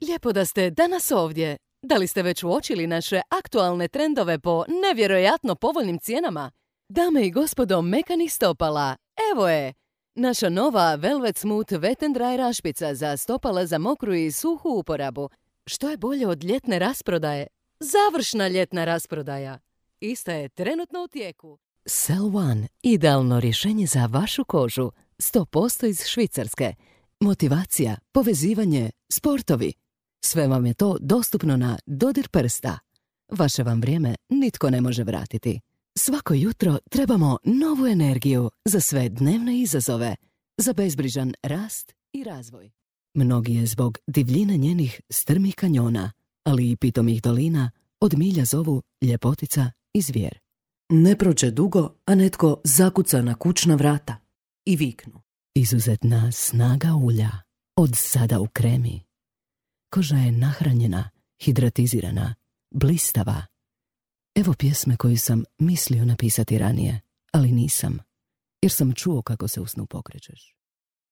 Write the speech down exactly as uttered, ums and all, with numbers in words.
Lijepo da ste danas ovdje. Da li ste već uočili naše aktualne trendove po nevjerojatno povoljnim cijenama? Dame i gospodo mekanih stopala, evo je! Naša nova Velvet Smooth Wet and Dry rašpica za stopala za mokru i suhu uporabu. Što je bolje od ljetne rasprodaje? Završna ljetna rasprodaja. Ista je trenutno u tijeku. Cell One, idealno rješenje za vašu kožu. sto posto iz Švicarske. Motivacija, povezivanje, sportovi. Sve vam je to dostupno na dodir prsta. Vaše vam vrijeme nitko ne može vratiti. Svako jutro trebamo novu energiju za sve dnevne izazove, za bezbrižan rast i razvoj. Mnogi je zbog divljine njenih strmih kanjona, ali i pitomih dolina, od milja zovu ljepotica i zvijer. Ne prođe dugo, a netko zakuca na kućna vrata i viknu. Izuzetna snaga ulja, od sada u kremi. Koža je nahranjena, hidratizirana, blistava. Evo pjesme koju sam mislio napisati ranije, ali nisam, jer sam čuo kako se u snu pokrećeš.